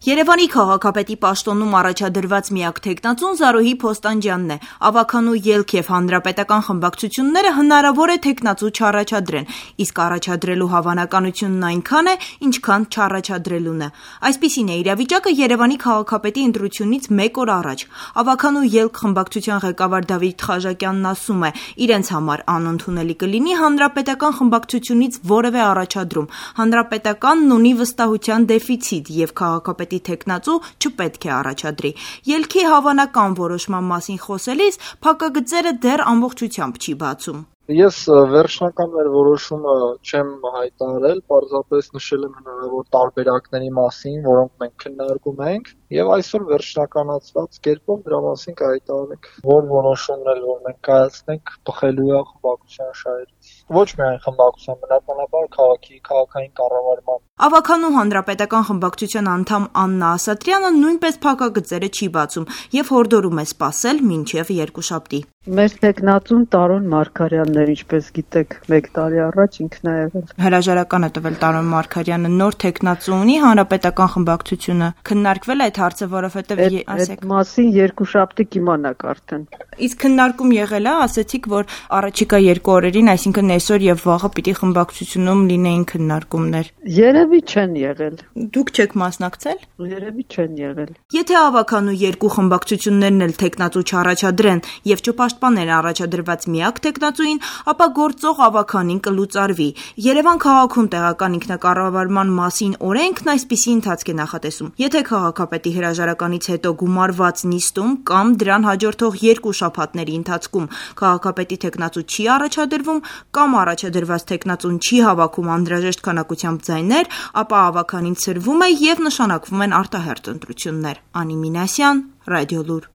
Երևանի քաղաքապետի պաշտոնում առաջադրված միակ թեկնածուն Զարուհի Փոստանջյանն է։ Ավագանու ելք եւ հանրապետական խմբակցությունները հնարավոր է թեկնածու չառաջադրեն, իսկ առաջադրելու հավանականությունն այնքան է, ինչքան չառաջադրելուն է։ Այսպիսին է իրավիճակը Երևանի քաղաքապետի ընտրությունից 1 օր առաջ։ Ավագանու ելք խմբակցության ղեկավար Դավիթ Խաժակյանն ասում է, իրենց համար անընդունելի կլինի հանրապետական խմբակցությունից որևէ առաջադրում։ Հանրապետականն ունի վստահության դեֆիցիտ եւ քաղաքապետի թեկնածու չպետք է առաջադրի։ Ելքի հավանական որոշման մասին խոսելիս փակագծերը դեռ ամբողջությամբ չի բացում։ Ես վերջնական մեր որոշումը չեմ հայտարարել, պարզապես նշել եմ հնարավոր տարբերակների մասին, որոնք մենք քննարկում ենք, եւ այսօր վերջնականացված կերպով դրա մասին կհայտարարենք, որ որոշումն էլ որ մենք կայացնենք բխելու է խմբակցության շահերից։ Ոչ միայն խմբակցության, բնականաբար քաղաքային կառավարման։ Ավագանու հանրապետական խմբակցության անդամ Աննա Ասատրյանը նույնպես փակագծերը չի բացում եւ հորդորում է սպասել մինչեւ երկուշաբթի։ Մեր տեխնատուն Տարոն Մարգարյանն էր, ինչպես գիտեք, 1 տարի առաջ ինքն է եղել։ Հրաժարական է տվել Տարոն Մարգարյանը, նոր տեխնատու ունի հանրապետական խմբակցությունը։ Քննարկվել է այդ հարցը, որովհետեւ ասեք։ Այդ մասին երկուշաբթի կիմանաք արդեն։ Իսկ քննարկում եղել է, ասեցիք, որ առաջիկա 2 օրերին, այսինքն այսօր եւ վաղը պիտի խմբակցությունում լինեին քննարկումներ։ Երևի չեն եղել։ Դուք չեք մասնակցել։ Երևի չեն եղել։ Եթե ավագանու 2 խմբակցություններն էլ տեխնատու չառաջադրեն եւ չպաշտպանեն առաջադրված միակ տեխնատուին, ապա գործող ավագանին կլուծարվի։ Երևան քաղաքում տեղական ինքնակառավարման մասին օրենքն այսպիսի ընթացք է նախատեսում։ Եթե քաղաքապետի հրաժարականից հետո գումարված նիստում կամ դրան հաջորդող 2 շաբաթների ընթացքում քաղաքապետի տեխնատու չի առաջադրվում կամ առաջադրված տեխնատուն չի հավաքում անհրաժեշտ քանակությամբ ձայներ, ապա ավագանին ցրվում է եւ նշանակվում են արտահերթ ընտրություններ։ Անի Մինասյան, Ռադիոլուր։